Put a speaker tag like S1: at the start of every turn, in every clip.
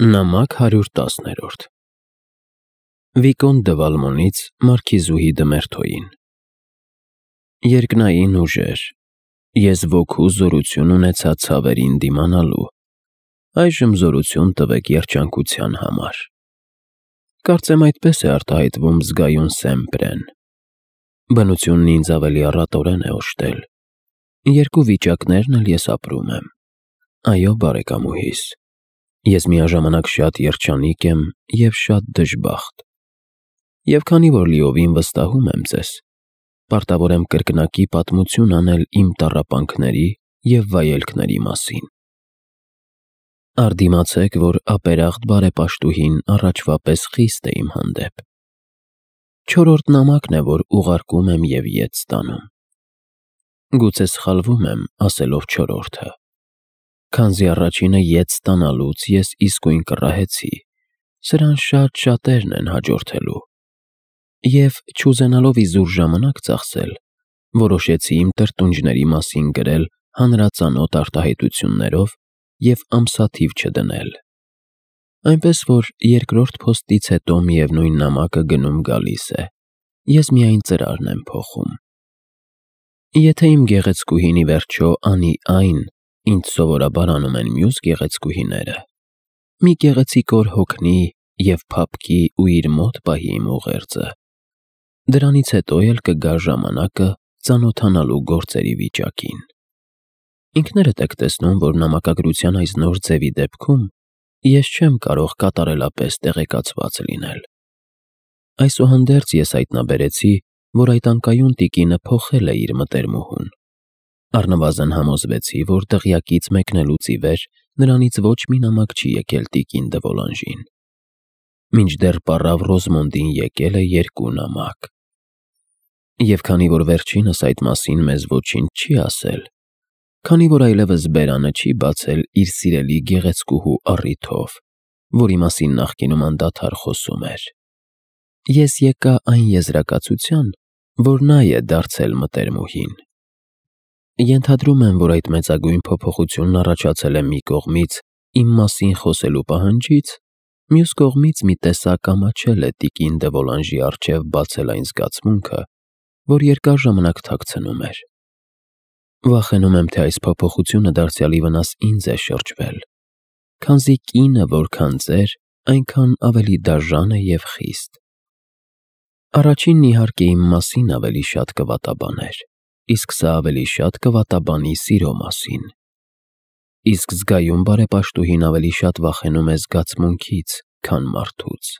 S1: Նամակ 110 Վիկոն դը Վալմոնից մարքիզուհի Դմերթոյին։ Երկնային ուժեր, ես ոգու զորություն ունեցա ցավերին դիմանալու, այժմ զորություն տվեք երջանկության համար։ Կարծեմ այդպես է արտահայտվում զգայուն Սեմպրեն։ Բնությունն ինձ ավելի առատորեն է օժտել, երկու վիճակներն էլ ես ապրում եմ։ Այո, բարեկամուհիս, ես միաժամանակ շատ երջանիկ եմ և շատ դժբախտ։ Եվ քանի որ լիովին վստահում եմ ձեզ, պարտավոր եմ կրկնակի պատմություն անել իմ տառապանքների և վայելքների մասին։ Արդիմացեք, որ ապերախտ բարեպաշտուհին առաջվա պես խիստ է իմ հանդեպ։ Չորրորդ նամակն է, որ ուղարկում եմ և ետ ստանում։ Գուցե սխալվում եմ, ասելով չորրորդը, քանզի առաջինը ետ ստանալուց ես իսկույն կռահեցի, սրան շատերն են հաջորդելու։ Եվ չուզենալով իզուր ժամանակ ծախսել, որոշեցի իմ տրտունջների մասին գրել հանրածանոթ արտահայտություններով և ամսաթիվ չդնել։ Այնպես որ երկրորդ փոստից հետո միևնույն նամակը գնում գալիս է, ես միայն ծրարն եմ փոխում։ Եթե իմ գեղեցկուհին ի վերջո անի այն, ինչ սովորաբար անում են մյուս գեղեցկուհիները, մի գեղեցիկ օր հոգնի և փափկի ու իր մոտ պահի իմ ուղերձը, դրանից հետո էլ կգա ժամանակը ծանոթանալու գործերի վիճակին։ Ինքներդ եք տեսնում, որ նամակագրության այս նոր ձևի դեպքում ես չեմ կարող կատարելապես տեղեկացված լինել։ Այսուհանդերձ ես հայտնաբերեցի, որ այդ անկայուն տիկինը փոխել է իր մտերմուհուն։ Առնվազն համոզվեցի, որ դղյակից մեկնելուց ի վեր նրանից ոչ մի նամակ չի եկել տիկին դը Վոլանժին։ Մինչդեռ պառավ Ռոզմոնդին եկել է 2 նամակ։ Եվ քանի որ վերջինս այդ մասին մեզ ոչինչ չի ասել, քանի որ այլևս բերանը չի բացել իր սիրելի գեղեցկուհու առիթով, որի մասին նախկինում անդադար խոսում էր, ես եկա այն եզրակացության, որ նա է դարձել մտերմուհին։ Ենթադրում եմ, որ այդ մեծագույն փոփոխությունն առաջացել է մի կողմից իմ մասին խոսելու պահանջից, մյուս կողմից մի տեսակ ամաչել է տիկին դը Վոլանժի առջև բացել այն զգացմունքը, որ երկար ժամանակ թաքցնում էր։ Վախենում եմ, թե այս փոփոխությունը դարձյալի վնաս ինձ է շրջվել, քանզի կինը որքան ծեր, այնքան ավելի դաժան է և խիստ։ Առաջինն իհարկե իմ մասին ավելի շատ կվատաբաներ, իսկ սա ավելի շատ կվատաբանի սիրո մասին։ Իսկ զգայուն բարեպաշտուհին ավելի շատ վախենում է զգացմունքից, քան մարդուց։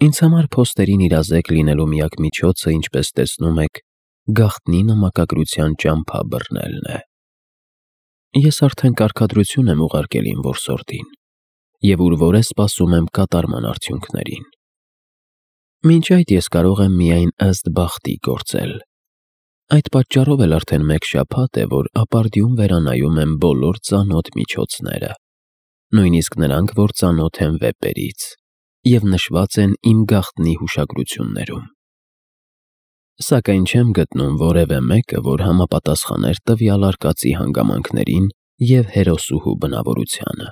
S1: Ինձ համար փոստերին իրազեկ լինելու միակ միջոցը, ինչպես տեսնում եք, գաղտնի նամակագրության ճամփա բռնելն է։ Ես արդեն կարգադրություն եմ ուղարկել իմ որսորդին և ուր որ է սպասում եմ կատարման արդյունքներին։ Մինչ այդ ես կարող եմ միայն ըստ բախտի գործել։ Այդ պատճառով էլ արդեն 1 շաբաթ է, որ ապարդյուն վերանայում եմ բոլոր ծանոթ միջոցները, նույնիսկ նրանք, որ ծանոթ են վեպերից և նշված են իմ գաղտնի հուշագրություններում։ Սակայն չեմ գտնում որևէ մեկը, որ համապատասխաներ տվյալ արկածի հանգամանքներին և հերոսուհու բնավորությանը։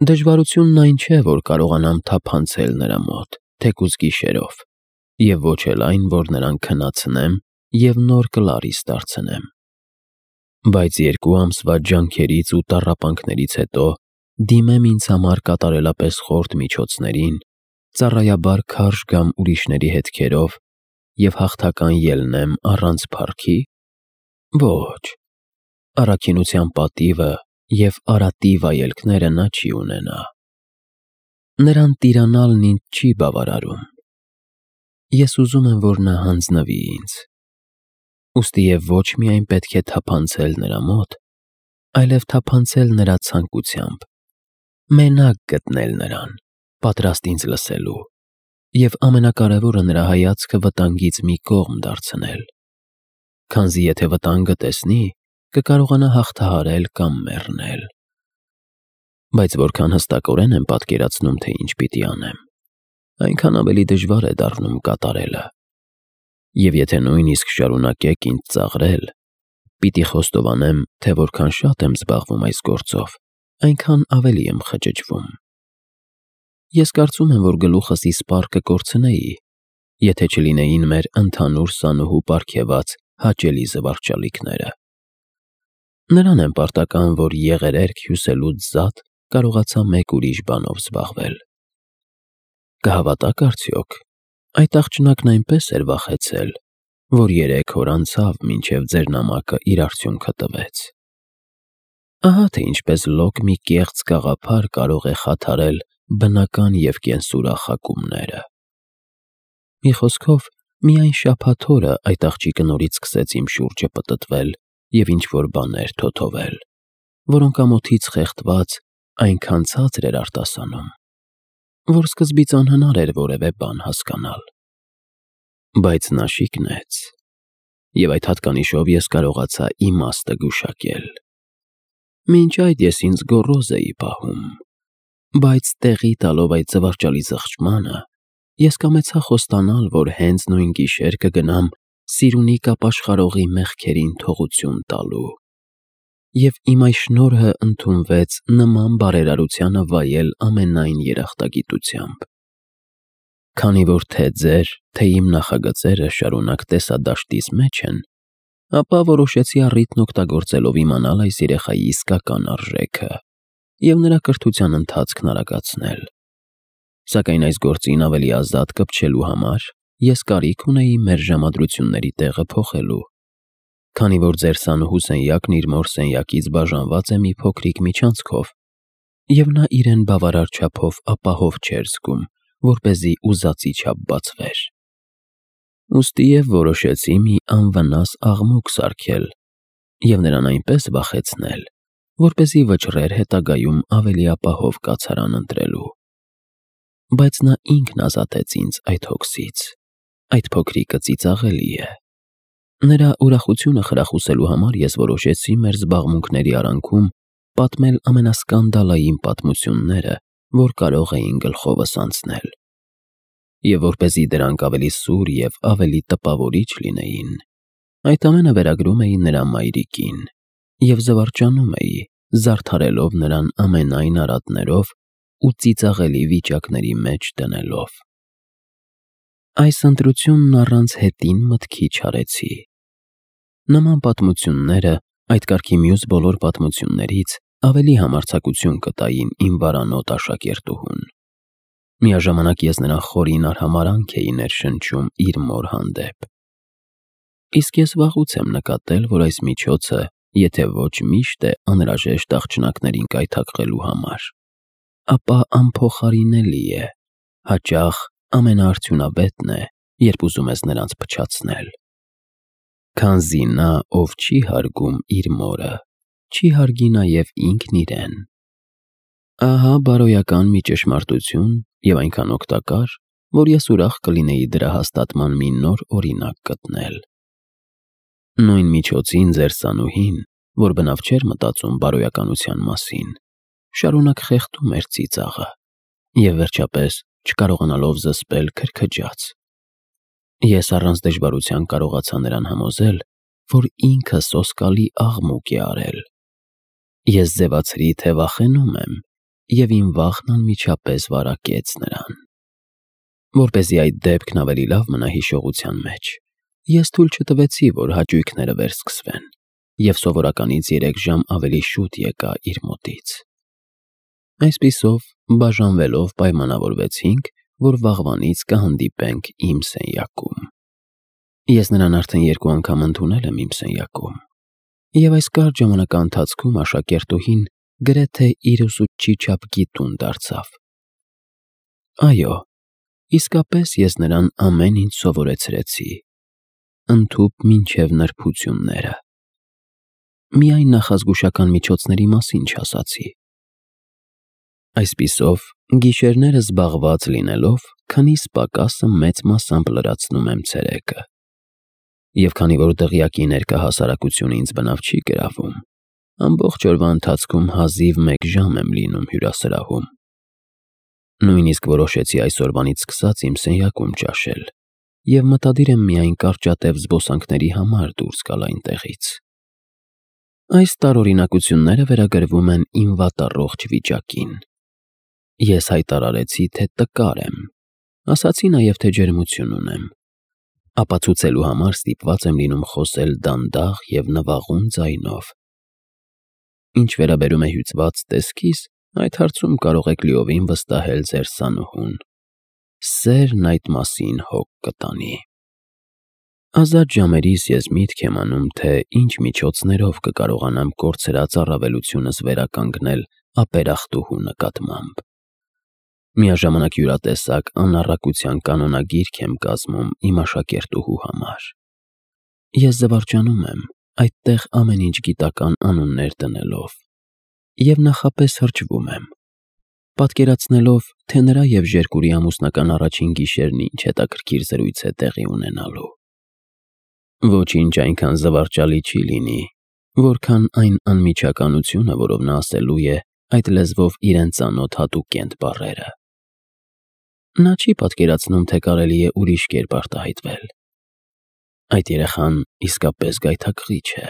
S1: Դժվարությունն այն չէ, որ կարողանամ թափանցել նրա մոտ, թեկուզ գիշերով, և ոչ էլ այն, որ նրան քնացնեմ և նոր Կլարիս դարձնեմ։ Բայց 2 ամսվա ջանքերից ու տառապանքներից հետո դիմեմ ինձ համար կատարելապես խորտ միջոցներին, ծառայաբար քարշ գամ ուրիշների հետքերով և հաղթական ելնեմ առանց փառքի։ Ոչ, առաքինության պատիվը և արատի վայելքները նա չի ունենա։ Նրան տիրանալն ինձ չի բավարարում։ Ես ուզում եմ, որ նա հանձնվի ինձ։ Ուստի և ոչ միայն պետք է թափանցել նրա մոտ, այլև թափանցել նրա ցանկությամբ, մենակ գտնել նրան, պատրաստ ինձ լսելու, և ամենակարևորը նրա հայացքը վտանգից մի կողմ դարձնել, քանզի եթե վտանգը տեսնի, կկարողանա հաղթահարել կամ մեռնել։ Բայց որքան հստակորեն եմ պատկերացնում, թե ինչ պիտի անեմ, այնքան ավելի դժվար է դառնում կատարելը։ Եվ եթե նույնիսկ շարունակեք ինձ ծաղրել, պիտի խոստովանեմ, թե որքան շատ եմ զբաղվում այս գործով, այնքան ավելի եմ խճճվում։ Ես կարծում եմ, որ գլուխս իսպառ կկորցնեի, եթե չլինեին մեր ընդհանուր սանուհու պարգևած հաճելի զվարճալիքները։ Նրան եմ պարտական, որ եղերերք հյուսելուց զատ կարողացա մեկ ուրիշ բանով զբաղվել։ Կհավատաք արդյոք, այդ աղջնակն այնպես էր վախեցել, որ 3 օր անցավ, մինչև ձեր նամակը իր արդյունքը տվեց։ Ահա թե ինչպես լոկ մի կեղծ գաղափար կարող է խաթարել բնական և կենսուրախ հակումները։ Մի խոսքով, միայն շաբաթ օրը այդ աղջիկը նորից սկսեց իմ շուրջը պտտվել և ինչ-որ բաներ թոթովել, որոնք ամոթից խեղդված այնքան ցածր էր արտասանում, որ սկզբից անհնար էր որևէ բան հասկանալ։ Բայց նա շիկնեց, և այդ հատկանիշով ես կարողացա իմաստը գուշակել։ Մինչ այդ ես ինձ գոռոզ էի պահում, բայց տեղի տալով այդ զվարճալի զղջմանը, ես կամեցա խոստանալ, որ հենց նույն գիշեր կգնամ Սիրունի կապաշխարողի մեղքերին թողություն տալու, և իմ այս շնորհը ընդունվեց նման բարերարությանը վայել ամենայն երախտագիտությամբ։ Քանի որ թե ձեր, թե իմ նախագծերը շարունակ տեսադաշտից մեջ են, ապա որոշեցի առիթն օգտագործելով իմանալ այս երեխայի իսկական արժեքը և նրա կրթության ընթացքն արագացնել։ Սակայն այս գործին ավելի ազատ կպչելու համար ես կարիք ունեի մեր ժամադրությունների տեղը փոխելու, քանի որ ձեր սանուհու սենյակն իր մոր սենյակից բաժանված է մի փոքրիկ միջանցքով, և նա իրեն բավարար չափով ապահով չէր զգում, որպեսզի ուզածի չափ բացվեր։ Ուստի և որոշեցի մի անվնաս աղմուկ սարքել և նրան այնպես վախեցնել, որպեսզի վճռեր հետագայում ավելի ապահով կացարան ընտրելու։ Բայց նա ինքն ազատեց ինձ այդ հոգսից։ Այդ փոքրիկը ծիծաղելի է։ Նրա ուրախությունը խրախուսելու համար ես որոշեցի մեր զբաղմունքների արանքում պատմել ամենասկանդալային պատմությունները, որ կարող էին գլխովս անցնել։ Եվ որպեսզի դրանք ավելի սուր և ավելի տպավորիչ լինեին, այդ ամենը վերագրում էի նրա մայրիկին և զվարճանում էի, զարդարելով նրան ամենայն արատներով ու ծիծաղելի վիճակների մեջ դնելով։ Այս ընտրությունն առանց հետին մտքի չարեցի։ Նման պատմությունները այդ կարգի մյուս բոլոր պատմություններից ավելի համարձակություն կտային իմ վարանոտ աշակերտուհուն։ Միաժամանակ ես նրան խորին արհամարհանք էի ներշնչում իր մոր հանդեպ։ Իսկ ես վաղուց եմ նկատել, որ այս միջոցը, եթե ոչ միշտ է անհրաժեշտ աղջնակներին կայթակղելու համար, ապա անփոխարինելի է, հաճախ ամենաարդյունավետն է, երբ ուզում ես նրանց փչացնել։ Քանզի նա, ով չի հարգում իր մորը, չի հարգի նաև ինքն իրեն։ Ահա բարոյական մի ճշմարտություն և այնքան օգտակար, որ ես ուրախ կլինեի դրա հաստատման մի նոր օրինակ գտնել։ Նույն միջոցին ձեր սանուհին, որ բնավ չէր մտածում բարոյականության մասին, շարունակ խեղդում էր ծիծաղը և վերջապես, չկարողանալով զսպել, քրքջաց։ Ես առանց դժվարության կարողացա նրան համոզել, որ ինքը սոսկալի աղմուկ է արել։ Ես ձևացրի, թե վախենում եմ, և իմ վախն անմիջապես վարակեց նրան։ Որպեսզի այդ դեպքն ավելի լավ մնա հիշողության մեջ, ես թույլ չտվեցի, որ հաճույքները վերսկսվեն, և սովորականից 3 ժամ ավելի շուտ եկա իր մոտից։ Այսպիսով, բաժանվելով պայմանավորվեցինք, որ վաղվանից կհանդիպենք իմ սենյակում։ Ես նրան արդեն 2 անգամ ընդունել եմ իմ սենյակում, և այս կարճ ժամանակաընթացքում աշակերտուհին գրեթե իր ուսուցչի չափ գիտուն դարձավ։ Այո, իսկապես ես նրան ամեն ինչ սովորեցրեցի, ընդհուպ մինչև նրբությունները։ Միայն նախազգուշական միջոցների մասին չասացի։ Այսպիսով, գիշերները զբաղված լինելով, քնիս պակասը մեծ մասամբ լրացնում եմ ցերեկը։ Եվ քանի որ դղյակի ներկա հասարակությունը ինձ բնավ չի գրավում, ամբողջ օրվա ընթացքում հազիվ 1 ժամ եմ լինում հյուրասրահում։ Նույնիսկ որոշեցի այսօրվանից սկսած իմ սենյակում ճաշել և մտադիր եմ միայն կարճատև զբոսանքների համար դուրս գալ այնտեղից։ Այս տարօրինակությունները վերագրվում են իմ վատառողջ վիճակին։ Ես հայտարարեցի, թե տկար եմ, ասացի նաև, թե ջերմություն ունեմ։ Ապացուցելու համար ստիպված եմ լինում խոսել դանդաղ և նվաղուն ձայնով։ Ինչ վերաբերում է հյուծված տեսքիս, այդ հարցում կարող եք լիովին վստահել ձեր սանուհուն։ Սերն այդ մասին հոգ կտանի։ Ազատ ժամերիս ես միտք եմ անում, թե ինչ միջոցներով կկարողանամ կորցրած առավելությունս վերականգնել ապերախտուհու նկատմամբ։ Միաժամանակ յուրատեսակ անառակության կանոնագիրք եմ կազմում իմ աշակերտուհու համար։ Ես զվարճանում եմ, այդտեղ ամեն ինչ գիտական անուններ դնելով, և նախապես հրճվում եմ, պատկերացնելով, թե նրա և Ժերկուրի ամուսնական առաջին գիշերն ինչ հետաքրքիր զրույց է տեղի ունենալու։ Ոչինչ այնքան զվարճալի չի լինի, որքան այն անմիջականությունը, որով նա ասելու է այդ լեզվով իրեն ծանոթ հատուկ կենտ բառերը։ Նա չի պատկերացնում, թե կարելի է ուրիշ կերպ արտահայտվել։ Այդ երեխան իսկապես գայթակղիչ է։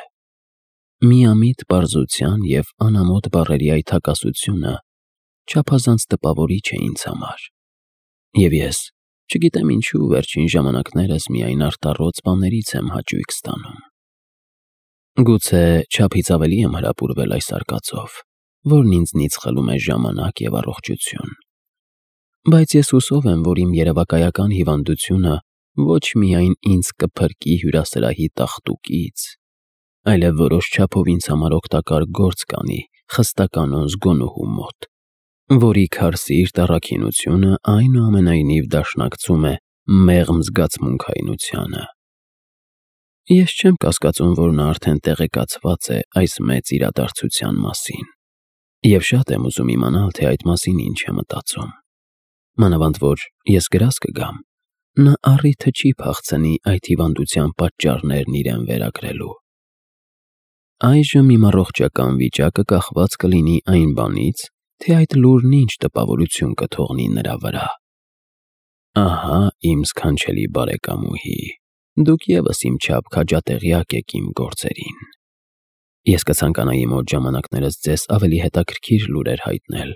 S1: Միամիտ պարզության և անամոթ բառերի այդ հակասությունը չափազանց տպավորիչ է ինձ համար։ Եվ ես, չգիտեմ ինչու, վերջին ժամանակներս միայն արտառոց բաներից եմ հաճույք ստանում։ Գուցե չափից ավելի եմ հրապուրվել այս արկածով, որն ինձնից խլում է ժամանակ և առողջություն։ Բայց ես հուսով եմ, որ իմ երևակայական հիվանդությունը ոչ միայն ինձ կփրկի հյուրասրահի տախտուկից, այլև որոշ չափով ինձ համար օգտակար գործ կանի խստականոն զգոնուհու մոտ, որի քարսիրտ առաքինությունը այնուամենայնիվ դաշնակցում է մեղմ զգացմունքայնությանը։ Ես չեմ կասկածում, որ նա արդեն տեղեկացված է այս մեծ իրադարձության մասին, և շատ եմ ուզում իմանալ, թե այդ մասին ինչ է մտածում։ Մանավանդ որ ես գրազ կգամ, նա առիթը չի փախցնի այդ հիվանդության պատճառներն իրեն վերագրելու։ Այժմ իմ առողջական վիճակը կախված կլինի այն բանից, թե այդ լուրն ինչ տպավորություն կթողնի նրա վրա։ Ահա իմ սքանչելի բարեկամուհի, դուք ևս իմ չափ քաջատեղյակ եք իմ գործերին։ Ես կցանկանայի մոտ ժամանակներս ձեզ ավելի հետաքրքիր լուրեր հայտնել,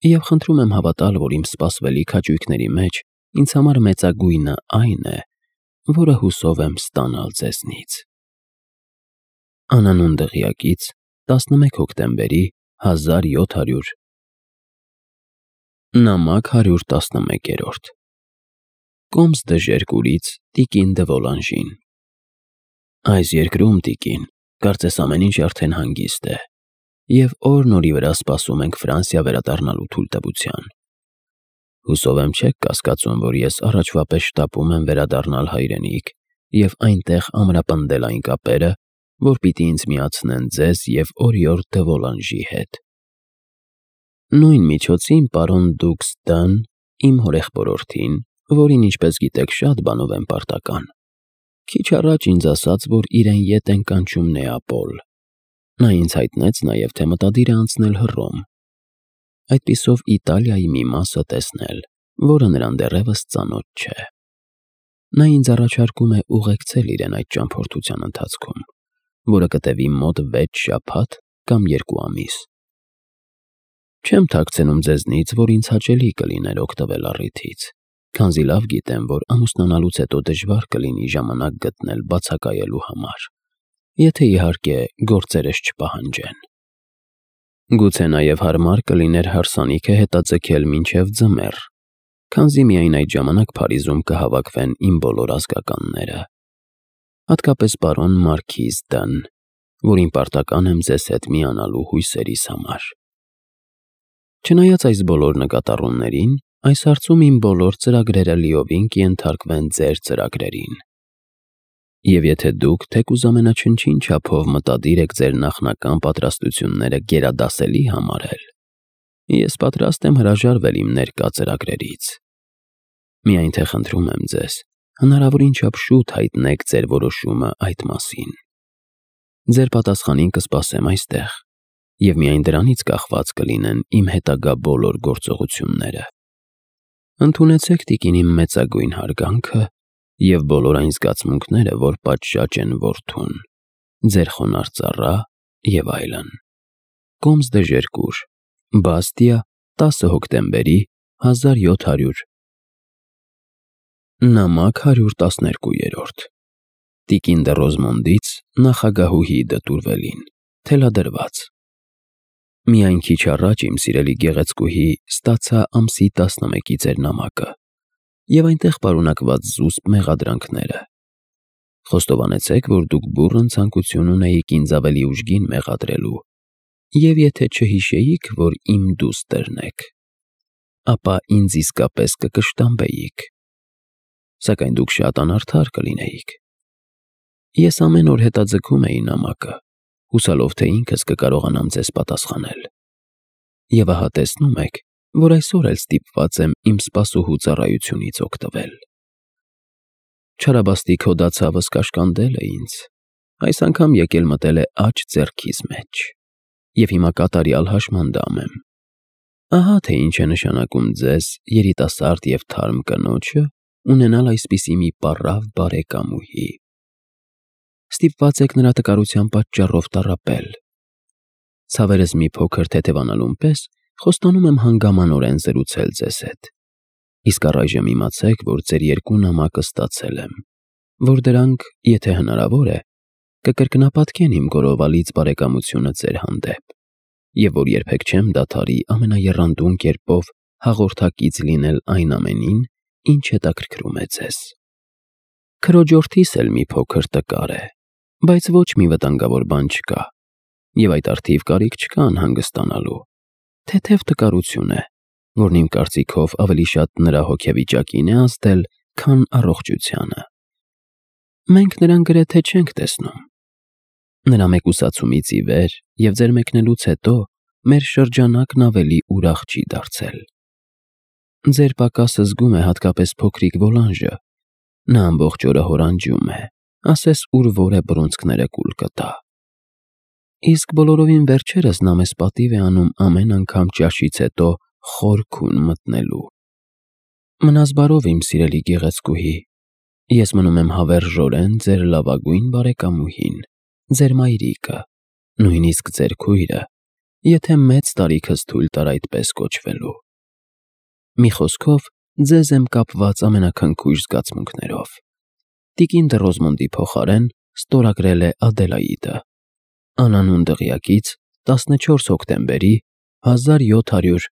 S1: և խնդրում եմ հավատալ, որ իմ սպասվելիք հաճույքների մեջ ինձ համար մեծագույնը այն է, որը հուսով եմ ստանալ ձեզնից։ Անանուն դղյակից 11 հոկտեմբերի 1700 Նամակ 111 Կոմս դը Ժերկուրից տիկին դը Վոլանժին։ Այս երկրում, տիկին, կարծես ամեն ինչ արդեն հանգիստ է, և օր-նորի վրա սպասում ենք Ֆրանսիա վերադառնալու թույլտվության։ Հուսով եմ չեք կասկածում, որ ես առաջվա պես շտապում եմ վերադառնալ հայրենիք և այնտեղ ամրապնդել այն կապերը, որ պիտի ինձ միացնեն ձեզ և Օրիորդ դը Վոլանժի հետ։ Նույն միջոցին պարոն Դուքս Դ-ն, իմ հորեղբորորդին, որին, ինչպես գիտեք, շատ բանով եմ պարտական, քիչ առաջ ինձ ասաց, որ իրեն ետ են կանչում Նեապոլ։ Նա ինձ հայտնեց նաև, թե մտադիր է անցնել Հռոմ, այդպիսով Իտալիայի մի մասը տեսնել, որը նրան դեռևս ծանոթ չէ։ Նա ինձ առաջարկում է ուղեկցել իրեն այդ ճամփորդության ընթացքում, որը կտևի մոտ 6 շաբաթ կամ 2 ամիս։ Չեմ թաքցնում ձեզնից, որ ինձ հաճելի կլիներ օգտվել առիթից, քանզի լավ գիտեմ, որ ամուսնանալուց հետո դժվար կլինի ժամանակ գտնել բացակայելու համար, եթե իհարկե գործերս չպահանջեն։ Գուցե նաև հարմար կլիներ հարսանիքը հետաձգել մինչև ձմեռ, քանզի միայն այդ ժամանակ Փարիզում կհավաքվեն իմ բոլոր ազգականները, հատկապես պարոն Մարքիզ Դ-ն, որին պարտական եմ ձեզ հետ միանալու հույսերիս համար։ Չնայած այս բոլոր նկատառումներին, այս հարցում իմ բոլոր ծրագրերը լիովին կենթարկվեն ձեր ծրագրերին։ Եվ եթե դուք թեկուզ ամենաչնչին չափով մտադիր եք ձեր նախնական պատրաստությունները գերադասելի համարել, ես պատրաստ եմ հրաժարվել իմ ներկա ծրագրերից։ Միայն թե խնդրում եմ ձեզ, հնարավորին չափ շուտ հայտնեք ձեր որոշումը այդ մասին։ Ձեր պատասխանին կսպասեմ այստեղ, և միայն դրանից կախված կլինեն իմ հետագա բոլոր գործողությունները։ Ընդունեցեք, տիկին, իմ մեծագույն հարգանքը և բոլոր այն զգացմունքները, որ պատշաճ են որդուն, ձեր խոնարհ ծառա եւ այլն։ Կոմս դե Ժերկուր, Բաստիա, 10 հոկտեմբերի 1700։ Նամակ 112-րդ։ Տիկին դե Ռոզմոնդից նախագահուհի դտուրվելին, թելադրված։ Միայն քիչ առաջ իմ սիրելի գեղեցկուհի ստացա ամսի 11-ի ձեր նամակը եւ այնտեղ պարունակված զուսպ մեղադրանքները։ Խոստովանեցեք, որ դուք բուռն ցանկություն ունեիք ինձ ավելի ուժգին մեղադրելու, եւ եթե չհիշեիք, որ իմ դուստերն եք, ապա ինձ իսկապես կկշտամբեիք, սակայն դուք շատ անարդար կլինեիք։ Ես ամեն օր հետաձգում էի նամակը, հուսալով, թե ինքս կկարողանամ ձեզ պատասխանել։ Եվ ահա տեսնում եք, որ այսօր էլ ստիպված եմ իմ սպասուհու ծառայությունից օգտվել։ Չարաբաստիկ հոդացավս կաշկանդել է ինձ, այս անգամ եկել մտել է աջ ձեռքիս մեջ, եւ հիմա կատարյալ հաշմանդամ եմ։ Ահա թե ինչ է նշանակում ձեզ, երիտասարդ եւ թարմ կնոջը, ունենալ այսպիսի մի պառավ բարեկամուհի։ Ստիպված եք նրա տկարության պատճառով տառապել։ Ցավերս մի փոքր թեթևանալուն պես խոստանում եմ հանգամանորեն զրուցել ձեզ հետ։ Իսկ առայժմ իմացեք, որ ձեր երկու նամակը ստացել եմ, որ դրանք, եթե հնարավոր է, կկրկնապատկեն իմ գորովալից բարեկամությունը ձեր հանդեպ, եւ որ երբեք չեմ դադարի ամենաեռանդուն կերպով հաղորդակից լինել այն ամենին, ինչ հետաքրքրում է ձեզ։ Քրոջորդիս էլ մի փոքր տկար է, բայց ոչ մի վտանգավոր բան չկա, եւ այդ արդիվ կարիք չկա անհանգստանալու։ Թեթև տկարություն է, որն իմ կարծիքով ավելի շատ նրա հոգեվիճակին է ազդել, քան առողջությանը։ Մենք նրան գրեթե չենք տեսնում։ Նրա մեկուսացումից ի վեր եւ ձեր մեկնելուց հետո մեր շրջանակն ավելի ուրախ չի դարձել։ Ձեր պակասը զգում է հատկապես փոքրիկ Վոլանժը։ Նա ամբողջ օրը հորանջում է, ասես ուր որ է բռունցքները կուլ կտա։ Իսկ բոլորովին վերջերս նա մեզ պատիվ է անում ամեն անգամ ճաշից հետո խոր քուն մտնելու։ Մնաս բարով, իմ սիրելի գեղեցկուհի, ես մնում եմ հավերժորեն ձեր լավագույն բարեկամուհին, ձեր մայրիկը, նույնիսկ ձեր քույրը, եթե մեծ տարիքս թույլ տար այդպես կոչվելու։ Մի խոսքով, ձեզ եմ կապված ամենաքնքույժ զգացմունքներով։ Տիկին դե Ռոզմոնդի փոխարեն ստորագրել է Ադելաիդը, անանուն դղյակից 14 հոկտեմբերի 1700